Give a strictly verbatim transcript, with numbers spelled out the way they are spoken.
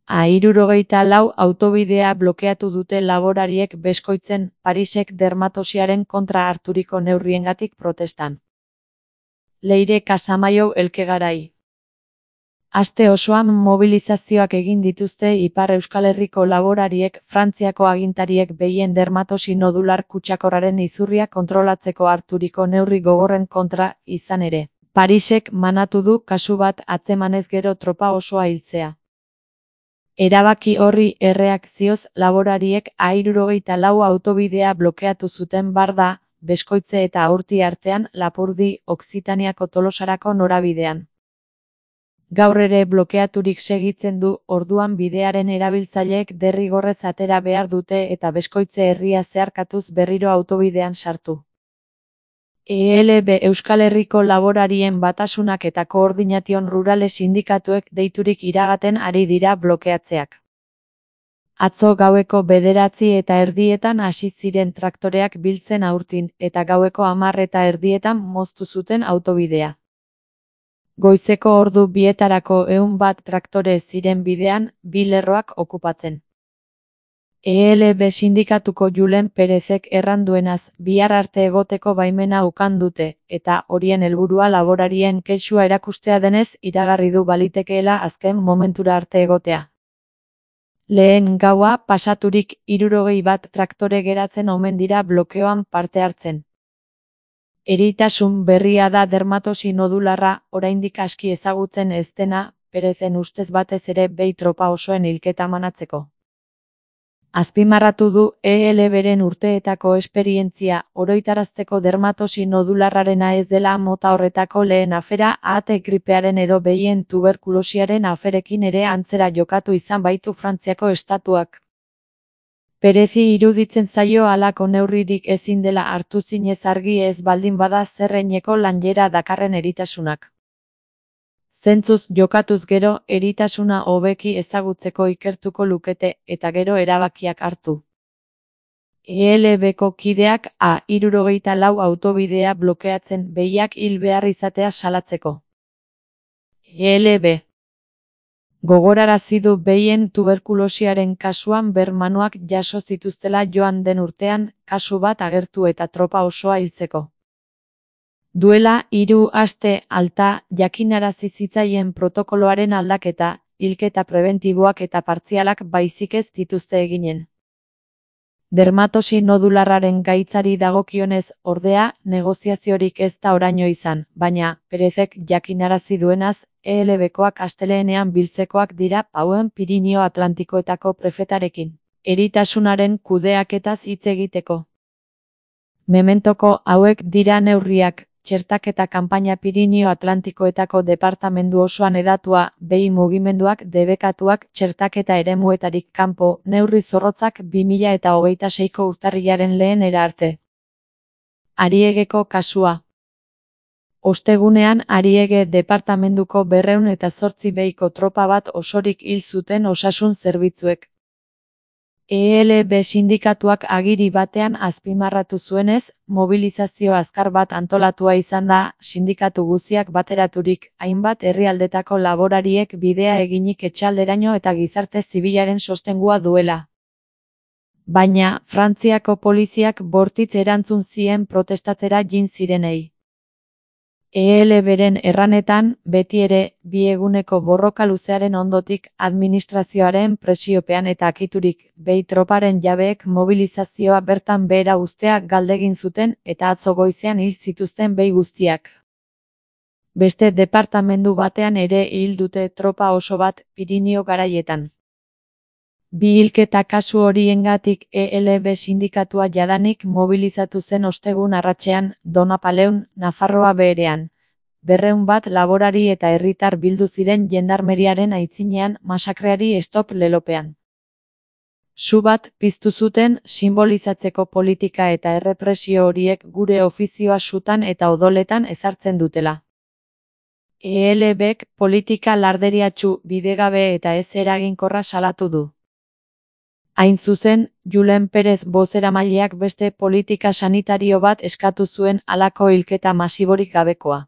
A hirurogeita lau autobidea blokeatu dute laborariek Beskoitzen Parisek dermatosiaren kontra harturiko neurriengatik protestan. Leire Casamaiu Elkegarai. Aste osoan mobilizazioak egin dituzte Ipar Euskal Herriko laborariek Frantziako agintariek behien dermatosi nodular kutsakorraren izurria kontrolatzeko harturiko neurri gogorren kontra, izan ere. Parisek manatu du kasu bat atzemanez gero tropa osoa hiltzea. Erabaki horri erreakzioz laborariek A hirurogeita lau autobidea blokeatu zuten Barda, Beskoitze eta Aurti artean Lapurdi, Okzitaniako Tolosarako norabidean. Gaur ere blokeaturik segitzen du, orduan bidearen erabiltzaileek derrigorrez atera behar dute eta Beskoitze herria zeharkatuz berriro autobidean sartu. E L B Euskal Herriko laborarien batasunak eta Koordination Rurale sindikatuek deiturik iragaten ari dira blokeatzeak. Atzo gaueko bederatzi eta erdietan hasi ziren traktoreak biltzen Aurtin, eta gaueko hamar eta erdietan moztu zuten autobidea. Goizeko ordu bietarako ehun bat traktore ziren bidean, bi lerroak okupatzen. E L B sindikatuko Julen Perezek erranduenaz, bihar arte egoteko baimena ukan dute, eta horien helburua laborarien kexua erakustea denez iragarri du balitekeela azken momentura arte egotea. Lehen gaua pasaturik hirurogei bat traktore geratzen omen dira blokeoan parte hartzen. Eritasun berria da dermatosi nodularra, oraindik aski ezagutzen ez dena, Perezen ustez batez ere behi tropa osoen hilketa manatzeko. Azpimarratu du E L Bren urteetako esperientzia oroitarazteko dermatosi nodularrarena ez dela mota horretako lehen afera, ahate gripearen edo behien tuberkulosiaren aferekin ere antzera jokatu izan baitu Frantziako estatuak. Perezi iruditzen zaio halako neurririk ezin dela hartu zinez argi ez baldin bada zerreineko lanjera dakarren eritasunak. Zentzuz jokatuz gero, eritasuna hobeki ezagutzeko ikertuko lukete, eta gero erabakiak hartu. E L Bko kideak A hirurogeita lau autobidea blokeatzen behiak hil behar izatea salatzeko. E L B gogorarazi du behien tuberkulosiaren kasuan bermanoak jaso zituztela joan den urtean, kasu bat agertu eta tropa osoa hiltzeko. Duela hiru aste alta jakinarazi zitzaien protokoloaren aldaketa, hilketa prebentiboak eta partzialak baizik ez dituzte eginen. Dermatosi nodularraren gaitzari dagokionez, ordea, negoziaziorik ez da oraino izan, baina, Perezek jakinarazi duenaz, E L Bkoak astelehenean biltzekoak dira Pauen Pirinio Atlantikoetako prefetarekin, eritasunaren kudeaketaz hitz egiteko. Mementoko hauek dira neurriak, txertaketa kanpaina Pirinio Atlantikoetako departamendu osoan edatua, behi mugimenduak debekatuak txertaketa eremuetarik kanpo, neurri zorrotzak bi mila eta hogeita seiko urtarrilaren lehenera arte. Ariegeko kasua. Ostegunean Ariege departamenduko berrehun eta zortzi behiko tropa bat osorik hil zuten osasun zerbitzuek. E L B sindikatuak agiri batean azpimarratu zuenez, mobilizazio azkar bat antolatua izan da, sindikatu guztiak bateraturik, hainbat herrialdetako laborariek bidea eginik etxalderaino eta gizarte zibilaren sostengua duela. Baina, Frantziako poliziak bortitz erantzun zien protestatzera jin zirenei. E L Bren erranetan, beti ere, bi eguneko borroka luzearen ondotik administrazioaren presiopean eta akiturik, behi troparen jabeek mobilizazioa bertan behera uztea galdegin zuten eta atzo goizean hil zituzten behi guztiak. Beste departamendu batean ere hil dute tropa oso bat Pirinio garaietan. Bi hilketa kasu horiengatik E L B sindikatua jadanik mobilizatu zen ostegun arratsean, Donapaleun, Nafarroa beherean. Berrehun bat laborari eta herritar bildu ziren jendarmeriaren aitzinean masakreari stop lelopean. Su bat piztu zuten simbolizatzeko politika eta errepresio horiek gure ofizioa sutan eta odoletan ezartzen dutela. E L Bk politika larderiatsu, bidegabe eta ez eraginkorra salatu du. Hain zuzen, Julen Perez bozeramaileak beste politika sanitario bat eskatu zuen halako hilketa masiborik gabekoa.